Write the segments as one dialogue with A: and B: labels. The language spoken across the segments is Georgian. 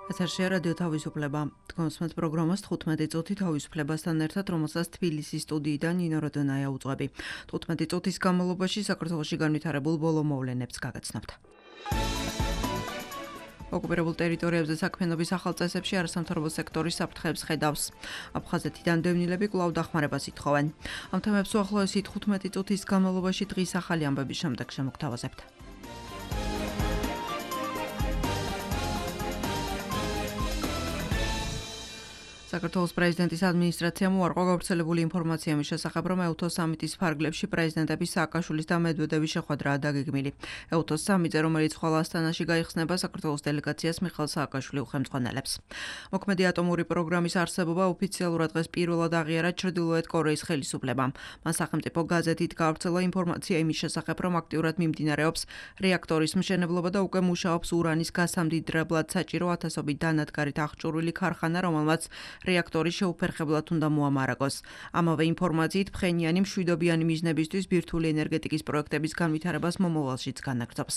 A: ეთერშია რადიო თავისუფლება. თქვენს პროგრამას 15 წუთი თავისუფლებასთან ერთად, რომელსაც თბილისის სტუდიიდან ნინო როდონაია უძღვები. 15 წუთის განმავლობაში საქართველოში განვითარებულ ბოლო მოვლენებს გაგაცნობთ. ოკუპირებულ ტერიტორიებზე საქმიანობის ახალ წესებში არასამთავრობო სექტორის საფრთხეებს ხედავს. აფხაზეთიდან დევნილები კვლავ დახმარებას ითხოვენ. ამ თემებს უახლოესი 15 წუთის განმავლობაში დღის ახალი ამბების შემდეგ შემოგთავაზებთ. საქართველოს პრეზიდენტის ადმინისტრაციამ უარყო გავრცელებული ინფორმაცია მის შესახებ, რომ ეუთოს სამიტის ფარგლებში პრეზიდენტების სააკაშვილის და მედვედევის შეხვედრაა დაგეგმილი. ეუთოს სამიტზე, რომელიც ხვალ ასტანაში გაიხსნება, საქართველოს დელეგაციას მიხეილ სააკაშვილი უხელმძღვანელებს. მოქმედი ატომური პროგრამის არსებობა ოფიციალურად დღეს პირველად აღიარა ჩრდილოეთ კორეის ხელისუფლებამ. მან სახელმწიფო გაზეთით გაავრცელა ინფორმაცია იმის შესახებ, რომ აქტიურად მიმდინარეობს რეაქტორის მშენებლობა და უკვე მუშაობს ურანის გასამდიდრებლად საჭირო ათასობით დანადგარით აღჭურვილი ქარხანა, რომელმაც რეაქტორის შეუფერხებლად უნდა მოამარაგოს. ამავე ინფორმაციით ფხენიანი მშვიდობიანი მიზნებისთვის ბირთვული ენერგეტიკის პროექტების განვითარებას მომავალშიც განაგრძობს.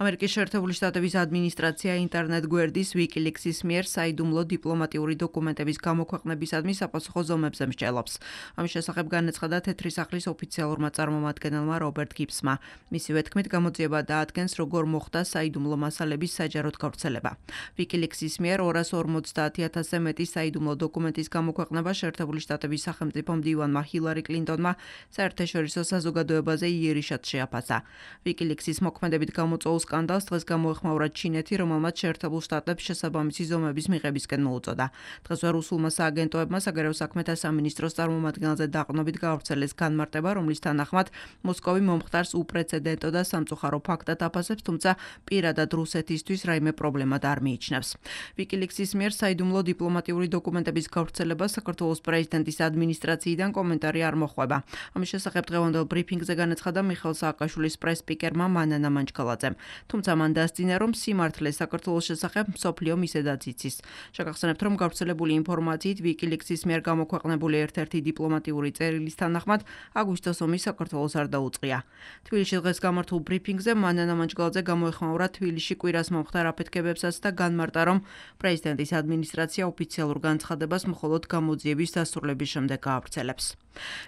A: ამერიკის შეერთებული შტატების ადმინისტრაცია ინტერნეტ გვერდის WikiLeaks-ის მიერ საიდუმლო დიპლომატიური დოკუმენტების გამოქვეყნებისადმი საპასუხო ზომებზე მსჯელობს. ამის შესახებ განაცხადა თეთრი სახლის ოფიციალურმა წარმომადგენელმა რობერტ გიბსმა. მისივე თქმით, გამოძიება დაადგენს, როგორ მოხდა საიდუმლო მასალების საჯაროდ გავრცელება. WikiLeaks-ის მიერ 250,000-ზე მეტი საიდუმლო დოკუმენტის გამოქვეყნება შეერთებული შტატების სახელმწიფო მდივანმა ჰილარი კლინტონმა საერთაშორისო საზოგადოებაზე იერიშად შეაფასა. WikiLeaks-ის მოქმედებით გამოწვეულ სკანდალს დღეს გამოეხმაურა ჩინეთი, რომელმაც შეერთებულ შტატებს შესაბამისი ზომების მიღებისკენ მოუწოდა. დღესვე რუსულმა სააგენტოებმა საგარეო საქმეთა სამინისტროს წარმომადგენელზე დაყრდნობით გაავრცელეს განმარტება, რომლის თანახმად მოსკოვი მომხდარს უპრეცედენტო და სამწუხარო ფაქტად აფასებს, თუმცა პირადად რუსეთისთვის რაიმე პრობლემა არ მიიჩნევს. WikiLeaks-ის მიერ საიდუმლო დიპლომატიური დოკუმენტების გავრცელება საქართველოს პრეზიდენტის ადმინისტრაციიდან კომენტარი არ მოხვება. ამის შესახებ დღევანდელ ბრიფინგზე განაცხადა მიხეილ სააკაშვილის პრეს-სპიკერმა მანანა მანჩქალაძემ. თუმცა მან დასძინა, რომ სიმართლე საქართველოს შესახებ მსოფლიო მისედაც იცის. შეგახსენებთ, რომ გავრცელებული ინფორმაციით WikiLeaks-ის მიერ გამოქვეყნებული ერთ-ერთი დიპლომატიური წერილის თანახმად აგვისტოს ომი საქართველოს არ დაუწყია. თბილისში დღეს გამართულ ბრიფინგზე მანანა მანჩქალაძე გამოეხმაურა თბილისში კვირას მომხდარ აფეთქებებსაც და განმარტა, რომ პრეზიდენტის ადმინისტრაცია ოფიციალურ განცხადებას მხოლოდ გამოძიების დასრულების შემდეგ გაავრცელებს.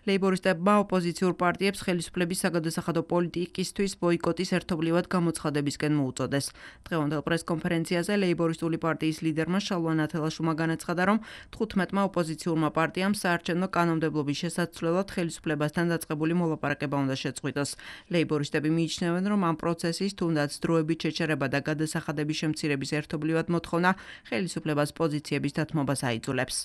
A: ლეიბორისტებმა ოპოზიციურ პარტიებს ხელისუფლების საგადასახადო პოლიტიკისთვის ბოიკოტის ერთობლივად გამოცხადებისკენ მოუწოდეს. დღევანდელ პრესკონფერენციაზე ლეიბორისტული პარტიის ლიდერმა შალვა ნათელაშვილმა განაცხადა, რომ 15-მა ოპოზიციურმა პარტიამ საარჩევნო კანონმდებლობის შესაცვლელად ხელისუფლებასთან დაწყებული მოლაპარაკება უნდა შეწყვიტოს. ლეიბორისტები მიიჩნევენ, რომ ამ პროცესის თუნდაც დროებით შეჩერება და გადასახადების შემცირების ერთობლივად მოთხოვნა ხელისუფლებას პოზიციების დათმობას აიძულებს.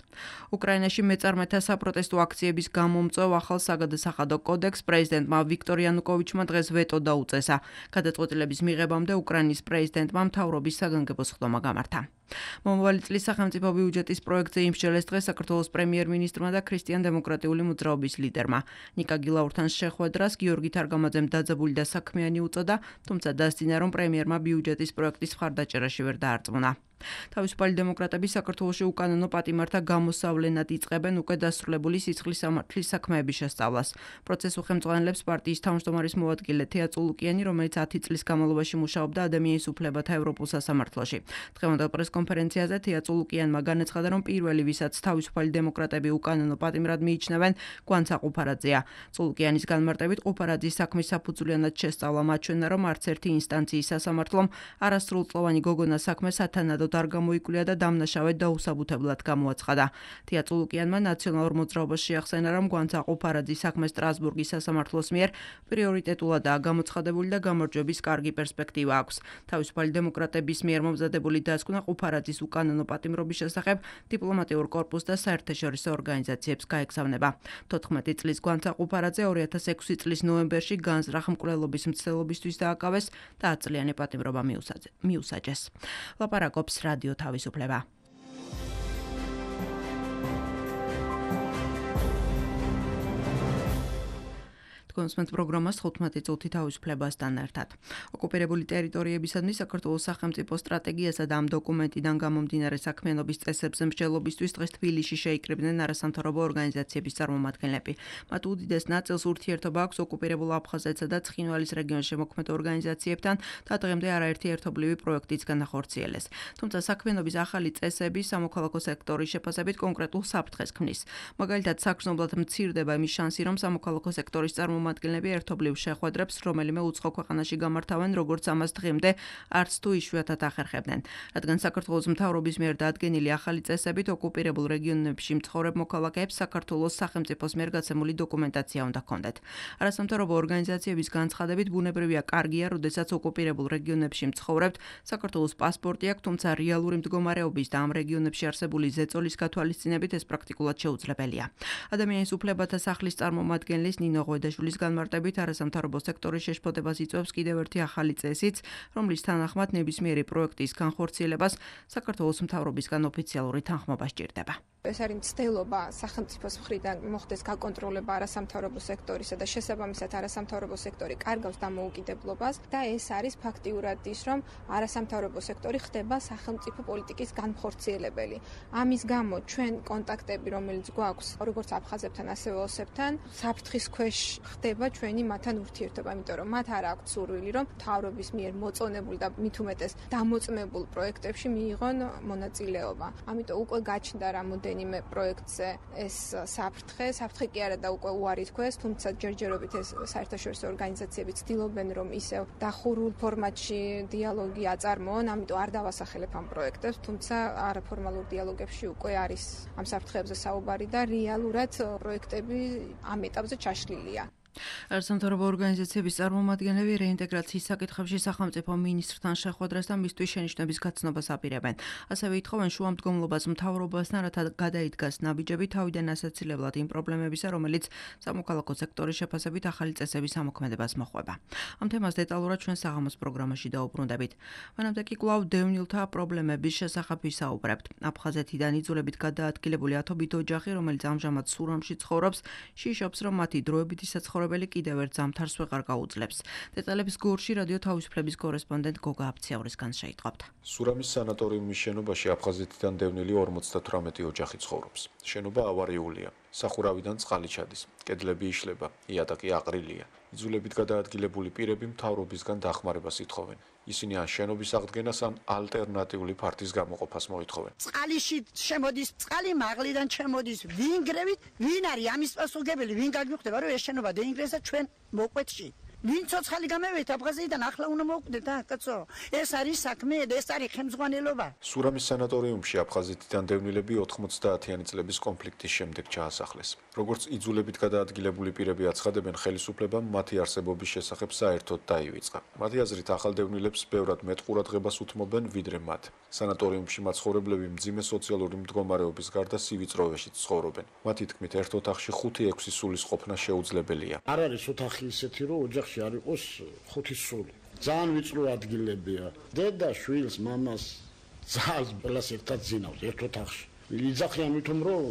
A: უკრაინაში მეწარმეთა საპროტესტო აქციების გამომწვევ ახალ საგადასახადო კოდექსს პრეზიდენტმა ვიქტორ იანუკოვიჩმა დღეს ვეტო დაუწესა. გადაწყვეტილების მიღებამდე უკრაინის პრეზიდენტმა მთავრობის საგანგებო სხდომა გამართა. მომავალი წლის სახელმწიფო ბიუჯეტის პროექტზე იმსჯელეს დღეს საქართველოს პრემიერ-მინისტრმა და ქრისტიან-დემოკრატიული მოძრაობის ლიდერმა. ნიკა გილაურთან შეხვედრას გიორგი თარგამაძემ დაძაბული და საქმიანი უწოდა, თუმცა დასძინა, რომ პრემიერმა ბიუჯეტის პროექტის მხარდაჭერაში ვერ დაარწმუნა. თავისუფალი დემოკრატები საქართველოში უკანონო პატიმართა გამოსავლენად იწყებენ უკვე დასრულებული სიცხლის სამართლის საქმეების შესწავლას. პროცესს უხელმძღვანელებს პარტიის თავმჯდომარის მოადგილე თეა წულუკიანი, რომელიც 10 წლის განმავლობაში მუშაობდა ადამიანის უფლებათა ევროპულ სასამართლოში. დღევანდელ პრესკონფერენციაზე თეა წულუკიანმა განაცხადა, რომ პირველი, ვისაც თავისუფალი დემოკრატები უკანონო პატიმრად მიიჩნევენ, გვანცა ყუფარაძეა. წულუკიანის განმარტებით, ყუფარაძის საქმის საფუძვლიანად შესწავლა მაჩვენა, რომ არც ერთი ინსტანციის სასამართლომ არასრულწლოვანი გოგონას საქმე სათანადოდ არ გამოიკვლია და დამნაშავედ დაუსაბუთებლად გამოაცხადა. თეა წულუკიანმა ნაციონალურ მოძრაობას შეახსენა, რომ გვანცა ყუფარაძის საქმე სტრასბურგის სასამართლოს მიერ პრიორიტეტულადაა გამოცხადებული და გამარჯვების კარგი პერსპექტივა აქვს. თავისუფალი დემოკრატების მიერ მომზადებული დასკვნა ყუფარაძის უკანონო პატიმრობის შესახებ დიპლომატიურ კორპუსს და საერთაშორისო ორგანიზაციებს გაეგზავნება. 14 წლის გვანცა ყუფარაძე 2006 წლის ნოემბერში განზრახ მკვლელობის მცდელობისთვის დააკავეს და 10 წლიანი პატიმრობა მიუსაჯეს. ლაპარაკობს რადიო თავისუფლება. Თქვენს პროგრამას 15 წუთი თავისუფლებასთან ერთად. ოკუპირებული ტერიტორიებისადმი საქართველოს სახელმწიფო სტრატეგიასა და ამ დოკუმენტიდან გამომდინარე საქმიანობის წესებზე მსჯელობისთვის დღეს თბილისში შეიკრიბნენ არასამთავრობო ორგანიზაციების წარმომადგენლები. მათ უდიდეს ნაწილს ურთიერთობა აქვს ოკუპირებულ აფხაზეთსა და ცხინვალის რეგიონში მოქმედ ორგანიზაციებთან და დღემდე არაერთი ერთობლივი პროექტიც განახორციელეს. თუმცა საქმიანობის ახალი წესები სამოქალაქო სექტორის შეფასებით კონკრეტულ საფრთხეს ქმნის. მაგალითად, საგრძნობლად მცირდება იმის შანსი, რომ სამოქალაქო სექტორის წარმომადგენლები ერთობლივ შეხვედრებს რომელიმე უცხო ქვეყანაში გამართავენ, როგორც ამას დღემდე არც თუ იშვიათად ახერხებდნენ. რადგან საქართველოს მთავრობის მიერ დადგენილი ახალი წესებით ოკუპირებულ რეგიონებში მცხოვრებ მოქალაქეებს საქართველოს სახელმწიფოს მიერ გაცემული დოკუმენტაცია უნდა ჰქონდეთ. არასამთავრობო ორგანიზაციების განცხადებით ბუნებრივია კარგია, როდესაც ოკუპირებულ რეგიონებში მცხოვრებთ, საქართველოს პასპორტი აქვს, თუმცა რეალური მდგომარეობის და ამ რეგიონებში არსებული ზეწოლის გათვალისწინებით ეს პრაქტიკულად შეუძლებელია. ადამიანის უფლებათა სახლის წარმომადგენლის ნინო ღვედაშვილის განმარტებით არასამთავრობო სექტორის შეშფოთებას იწვევს კიდევ ერთი ახალი წესიც, რომლის თანახმად ნებისმიერი პროექტის განხორციელებას საქართველოს მთავრობისგან ოფიციალური თანხმობა სჭირდება.
B: ეს არის მცდელობა სახელმწიფოს მხრიდან მოხდეს გაკონტროლება არასამთავრობო სექტორისა და შესაბამისად არასამთავრობო სექტორი კარგავს დამოუკიდებლობას და ეს არის ფაქტიურად ის, რომ არასამთავრობო სექტორი ხდება სახელმწიფო პოლიტიკის განხორციელებელი. ამის გამო ჩვენ კონტაქტები, რომელიც გვაქვს როგორც აფხაზებთან, ასევე ოსებთან, საფრთხის ქვეშ ხდება ჩვენი მათთან ურთიერთობა, იმიტომ რომ მათ არ აქვთ სურვილი, რომ მთავრობის მიერ მოწონებულ და მით უმეტეს დამოწმებულ პროექტებში მიიღონ მონაწილეობა. ამიტომ უკვე გაჩნდა რამოდენიმე პროექტზე ეს საფრთხე კი არა და უკვე უარი თქვეს, თუმცა ჯერჯერობით ეს საერთაშორისო ორგანიზაციები ცდილობენ, რომ ისევ დახურულ ფორმატში დიალოგი აწარმოონ, ამიტომ არ დავასახელებ ამ პროექტებს, თუმცა არაფორმალურ დიალოგებში უკვე არის ამ საფრთხეებზე საუბარი და რეალურად პროექტები ამ ეტაპზე ჩაშლილია.
A: არასამთავრობო ორგანიზაციების წარმომადგენლები რეინტეგრაციის საკითხებში სახელმწიფო მინისტრთან შეხვედრას და მისთვის შენიშვნების გაცნობას აპირებენ. ასევე ითხოვენ შუამდგომლობას მთავრობასთან, რათა გადაიდგას ნაბიჯები თავიდან ასაცილებლად იმ პრობლემებისა, რომელიც სამოქალაქო სექტორის შეფასებით ახალი წესების ამოქმედებას მოჰყვება. ამ თემას დეტალურად ჩვენ საღამოს პროგრამაში დაუბრუნდებით. მანამდე კი კვლავ დევნილთა პრობლემების შესახებ ვისაუბრებთ. აფხაზეთიდან იძულებით გადაადგილებული ათობით ოჯახი, რომელიც ამჟამად სურამში ცხოვრობს, შიშობს, რომ მათი დროებითი საცხოვრებელი კიდევ ერთ ზამთარს ვეღარ გაუძლებს. დეტალების გორში რადიო თავისუფლების კორესპონდენტ გოგა აბციაურისგან შეიტყობთ.
C: სურამის სანატორიუმის შენობაში აფხაზეთიდან დევნილი 58 ოჯახი ცხოვრობს. შენობა ავარიულია. სახურავიდან წყალი ჩადის. კედლები იშლება, იატაკი აყრილია. იძულებით გადაადგილებული პირები მთავრობისგან დახმარებას ითხოვენ. ისინი ან შენობის აღდგენას, ან ალტერნატიული ფართის გამოყოფას მოითხოვენ.
D: წყალიში შემოდის, წყალი მაღლიდან შემოდის. ვინ გრევით, ვინ არის ამის პასუხისმგებელი, ვინ გაგიხვდება, რომ ეს შენობა დაინგრეს და ჩვენ მოყვეთში. ვინ ცოცხალი გამევით აფხაზეთიდან, ახლა უნდა მოვკვდეთ, კაცო. ეს არის საქმე, ეს არის ხელმძღვანელობა.
C: სურამის სანატორიუმში აფხაზეთიდან დევნილები 90-იანი წლების კონფლიქტის შემდეგ ჩაასახლეს. როგორც იძულებით გადაადგილებული პირები აცხადებენ, ხელისუფლებამ მათი არსებობის შესახებ საერთოდ დაივიწყა. მათი აზრით, ახალ დევნილებს ბევრად მეტ ყურადღებას უთმობენ, ვიდრე მათ. სანატორიუმში მაცხოვრებლები მძიმე სოციალური მდგომარეობის გარდა სივიწროვეშიც ცხოვრობენ. მათი თქმით, ერთ ოთახში 5-6 სულის ყოფნა შეუძლებელია.
E: არ არის ოთახი ისეთი, რომ ოჯახში არ იყოს 5 სული. ძალიან ვიწრო ადგილებია. დედა შვილს, მამას ძალს ყველას ერთად ძინავს ერთ ოთახში. იძახიან ვითომ რომ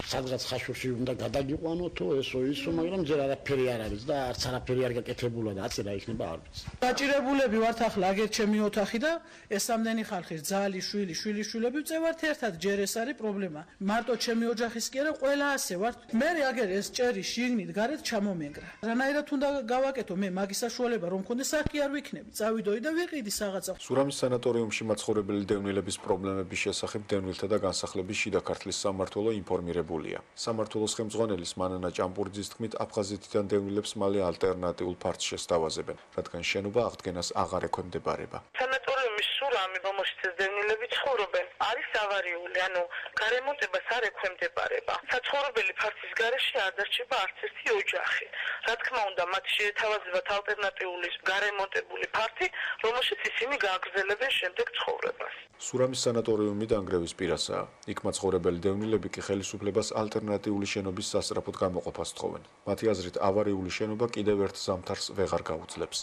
E: სადღაც ხაშურში უნდა გადაგიყვანოთო ესო ისო, მაგრამ ჯერ არაფერი არ არის და არც არაფერი არ გაკეთებულა და აცი რა იქნება არ ვიცი.
F: დაჭირებულები ვართ ახლა აგერ ჩემი ოთახი და ეს ამდენი ხალხი ძალი, შვილიშვილები ვწევართ ერთად, ჯერ ეს არის პრობლემა. მარტო ჩემი ოჯახის კი არა, ყველა ასე ვართ. მე აგერ ეს ჭერი შიგნით გარეთ ჩამომენგრა. რანაირად უნდა გავაკეთო მე მაგის საშუალება რომ მქონდეს, აქ არ ვიქნები. წავიდოდი და ვიყიდი რაღაცა.
C: სურამის სანატორიუმში მაცხოვრებელი დევნილების პრობლემების შესახებ დევნილთა და განსახლების შიდა ქართლის სამმართველო ინფორმირებულია. სამმართველოს ხელმძღვანელის მანანა ჭამპურიძის თქმით, აფხაზეთიდან დევნილებს მალე ალტერნატიულ ფართს შესთავაზებენ, რადგან შენობა აღდგენას აღარ ექვემდებარება.
G: სანატორიუმის სურამი, რომელშიც ეს დევნილები ცხოვრობენ, არის ავარიული, ანუ გარემონტებას არ ექვემდებარება. საცხოვრებელი ფართის გარეშე არ დარჩება არც ერთი ოჯახი. რა თქმა უნდა, მათ შეეთავაზებათ ალტერნატიული გარემონტებული ფართი, რომელშიც ისინი გააგრძელებენ შემდეგ ცხოვრებას.
C: სურამის სანატორიუმი დანგრევის პირასაა. იქ მაცხოვრებელი დევნილები კი ხელისუფლებას ალტერნატიული შენობის სასწრაფოდ გამოყოფას თხოვენ. მათი აზრით, ავარიული შენობა კიდევ ერთ ზამთარს ვეღარ გაუძლებს.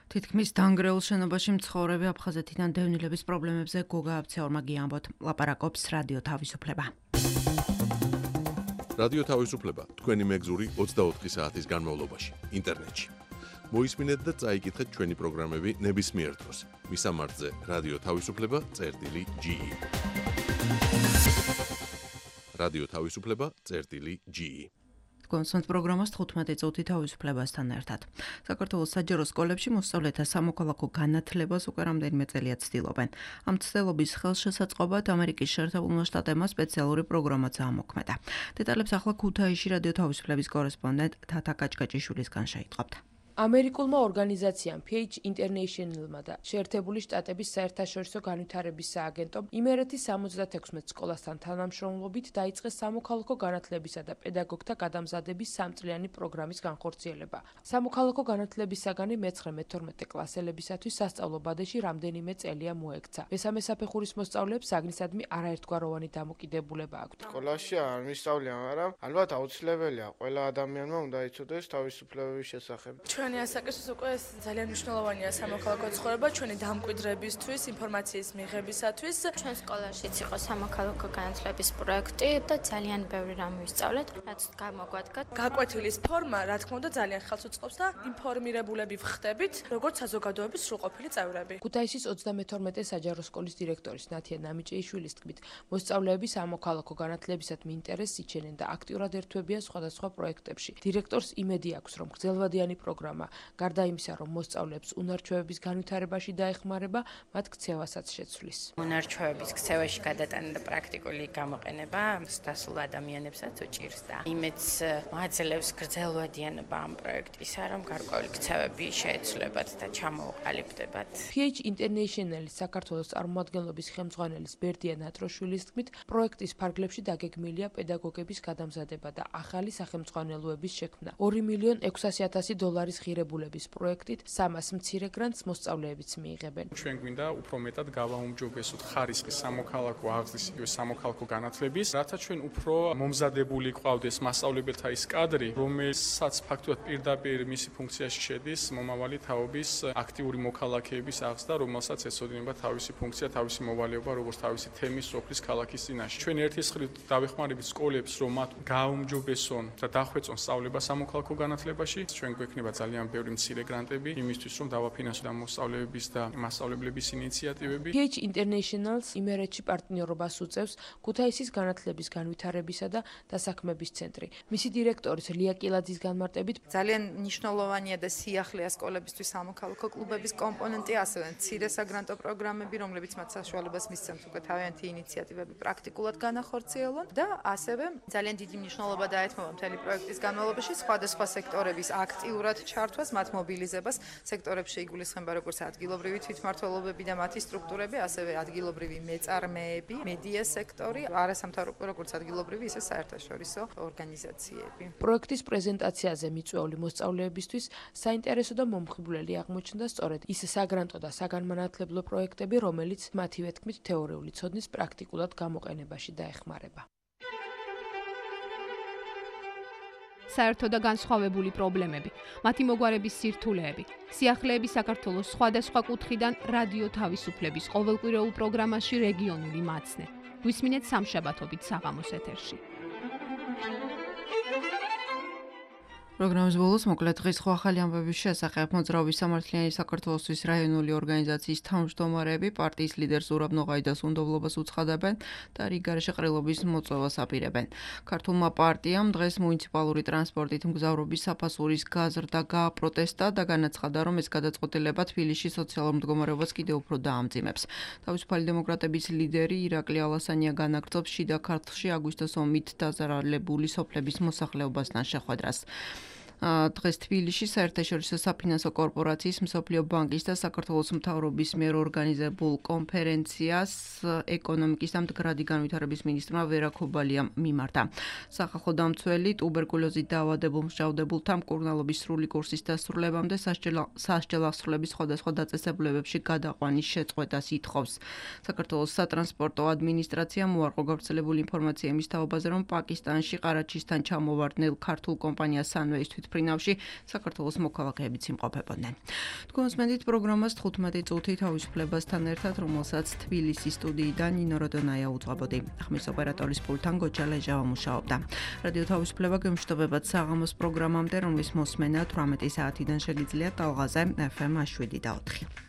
A: თითქმის დანგრეულ შენობაში მცხოვრები აფხაზეთიდან დევნილების პრობლემებზე გოგა აბციაურმა გიამბოთ. ლაპარაკობს რადიო თავისუფლება.
H: რადიო თავისუფლება თქვენი მეგზური 24 საათის განმავლობაში ინტერნეტში. მოისმინეთ და წაიკითხეთ ჩვენი პროგრამები ნებისმიერ დროს. მისამართზე რადიო თავისუფლება.ge. რადიო თავისუფლება.ge.
A: კონსონტ პროგრამას 15 წუთი თავისუფლებასთან ერთად. საქართველოს საჯარო სკოლებში მოსწავლეთა სამოქალაქო განათლებას უკვე რამდენიმე წელია ცდილობენ. ამ ცდილობის ხელშესაწყობად ამერიკის შეერთებულმა შტატებმა სპეციალური პროგრამაც ამოქმედა. დეტალებს ახლა ქუთაისში რადიო თავისუფლების კორესპონდენტ თათა კაჭკაჭიშვილისგან შეიტყობთ.
I: ამერიკულმა ორგანიზაციამ PH International-მა და შეერთებული შტატების საერთაშორისო განვითარების სააგენტომ იმერეთის 76 სკოლასთან თანამშრომლობით დაიწყეს სამოქალაქო განათლებისა და პედაგოგთა გადამზადების 3-წლიანი პროგრამის განხორციელება. სამოქალაქო განათლების საგანი მე-9-მე-12 კლასელებისათვის სასწავლო ბადეში რამდენიმე წელია მოექცა. მესამე საფეხურის მოსწავლეებს საგნისადმი არაერთგვაროვანი დამოკიდებულება აქვთ.
J: სკოლაში არ მისწავლიან, მაგრამ ალბათ აუცილებელია ყველა ადამიანმა უნდა იცოდეს თავისუფლებების შესახებ.
K: ჩვენი ასაკისთვის უკვე ძალიან მნიშვნელოვანია სამოქალაქო ცხოვრება ჩვენი დამკვიდრებისთვის, ინფორმაციის მიღებისათვის.
L: ჩვენ სკოლაშიც იყო სამოქალაქო განათლების პროექტი და ძალიან ბევრი რამ ვისწავლეთ, რაც გამოგვადგა.
K: გაკვეთილის ფორმა, რა თქმა უნდა, ძალიან ხელს უწყობს და ინფორმირებულები ვხდებით, როგორც საზოგადოების სრულყოფილი წევრები.
I: ქუთაისის 32 საჯარო სკოლის დირექტორის ნათია ნამიჭეიშვილის თქმით, მოსწავლეები სამოქალაქო განათლებისადმი ინტერესს იჩენენ და აქტიურად ერთვებიან სხვადასხვა პროექტებში. დირექტორს იმედი აქვს, რომ გრძელვადიანი პროგრამა გარდა იმისა, რომ მოსწავლეებს უნარჩვევების განვითარებაში დაეხმარება, მათ ქცევასაც შეცვლის.
M: უნარჩვევების ქცევაში გადატანა და პრაქტიკული გამოყენება დასულ ადამიანებსაც უჭირს და იმედს მოაძლევს გრძელვადიანობა ამ პროექტისა, რომ გარკვეული ქცევები შეეცვლებათ და ჩამოუყალიბდებათ.
I: PH International-ის საქართველოს წარმომადგენლობის ხელმძღვანელის ბერდია ნატროშვილის თქმით, პროექტის ფარგლებში დაგეგმილია პედაგოგების გადამზადება და ახალი სახელმძღვანელოების შექმნა. $2,600,000 ღირებულების პროექტით 300 მცირე გრანტს მოსწავლეებიც მიიღებენ.
N: ჩვენ გვინდა უფრო მეტად გავაუმჯობესოთ ხარისხის სამოქალაქო აღზრდის იგივე სამოქალაქო განათლების, რათა ჩვენ უფრო მომზადებული ყავდეს მასწავლებელთა ის კადრი, რომელსაც ფაქტობრივად პირდაპირ მისი ფუნქციაში შედის მომავალი თაობის აქტიური მოქალაქეების აღზრდა, რომელსაც ეცოდინება თავისი ფუნქცია, თავისი მოვალეობა, როგორც თავისი თემის სოფლის ქალაქის წინაშე. ჩვენ ერთის მხრივ დავეხმარებით სკოლებს, რომ მათ გააუმჯობესონ და დახვეწონ სწავლება სამოქალაქო განათლებაში. ჩვენ გვექნება ძალიან ბევრი მცირე გრანტები იმისთვის, რომ დავაფინანსოთ ამ მოსწავლეების და მასწავლებლების ინიციატივები.
I: PH International-ს იმერეთში პარტნიორობას უწევს ქუთაისის განათლების განვითარებისა და დასაქმების ცენტრი. მისი დირექტორის ლია კილაძის განმარტებით,
O: ძალიან მნიშვნელოვანია და სიახლეა სკოლებისთვის სამოქალაქო კლუბების კომპონენტი, ასევე მცირე საგრანტო პროგრამები, რომლებიც მათ საშუალებას მისცემს უკვე თავიანთი ინიციატივები პრაქტიკულად განახორციელონ და ასევე ძალიან დიდი მნიშვნელობა დაეთმობა მთელი პროექტის განმავლობაში სხვადასხვა სექტორების აქტიურად ჩართვას, მათ მობილიზებას, სექტორებში იგულისხმება როგორც ადგილობრივი თვითმმართველობები და მათი სტრუქტურები, ასევე ადგილობრივი მეწარმეები, მედია სექტორი, არასამთავრობო როგორც ადგილობრივი, ისე საერთაშორისო ორგანიზაციები.
I: პროექტის პრეზენტაციაზე მიწვეული მოსწავლეებისთვის საინტერესო და მომხიბვლელი აღმოჩნდა სწორედ ის საგრანტო და საგანმანათლებლო პროექტები, რომელიც მათივე თქმით თეორიული ცოდნის პრაქტიკულად გამოყენებაში დაეხმარება.
P: საერთო და განსხვავებული პრობლემები, მათი მოგვარების სირთულეები, სიახლეები საქართველოს სხვადასხვა კუთხიდან რადიო თავისუფლების ყოველკვირეულ პროგრამაში რეგიონული მაცნე. გვისმინეთ სამშაბათობით საღამოს ეთერში.
A: პროგრამის ბოლოს მოკლედ დღის სხვა ახალი ამბების შესახებ მოძრაობის სამართლიანი საქართველოსთვის რაიონული ორგანიზაციის თავმჯდომარეები პარტიის ლიდერ ზურაბ ნოღაიდას უნდობლობას უცხადებენ და რიგ გარეშე ყრილობის მოწვევას აპირებენ. ქართულმა პარტიამ დღეს მუნიციპალური ტრანსპორტით მგზავრობის საფასურის გაზრდა გააპროტესტა და განაცხადა, რომ ეს გადაწყვეტილება თბილისში სოციალურ მდგომარეობას კიდევ უფრო დაამძიმებს. თავისუფალი დემოკრატების ლიდერი ირაკლი ალასანია განაგრძობს შიდა ქართლში აგვისტოს ომით დაზარალებული სოფლების მოსახლეობასთან შეხვედრას. დღეს თბილისში საერთაშორისო საფინანსო კორპორაციის მსოფლიო ბანკის და საქართველოს მთავრობის მიერ ორგანიზებულ კონფერენციას ეკონომიკის და მდგრადი განვითარების მინისტრმა ვერა ქობალიამ მიმართა. სახალხო დამცველი ტუბერკულოზით დაავადებულ მსჯავრდებულთა მკურნალობის სრული კურსის დასრულებამდე სასჯელ აღსრულების სხვადასხვა დაწესებულებებში გადაყვანის შეწყვეტას ითხოვს. საქართველოს სატრანსპორტო ადმინისტრაციამ უარყო გავრცელებული ინფორმაცია იმის თაობაზე, რომ პაკისტანში ყარაჩისთან ჩამოვარდნილ ქართულ კომპანია Sunways ფრინავში საქართველოს მოქალაქეებიც იმყოფებოდნენ. თქვენს მენდით პროგრამას 15 წუთი თავისუფლებასთან ერთად, რომელსაც თბილისის სტუდიიდან ნინო როდონაია უძღვებოდი. ხმის ოპერატორის პულტთან გოჯა ლეჟავა მუშაობდა. რადიო თავისუფლება გემშვიდობებად საღამოს პროგრამამდე, რომლის მოსმენა 18 საათიდან შეგიძლიათ ტალღაზე FM 7 და 4.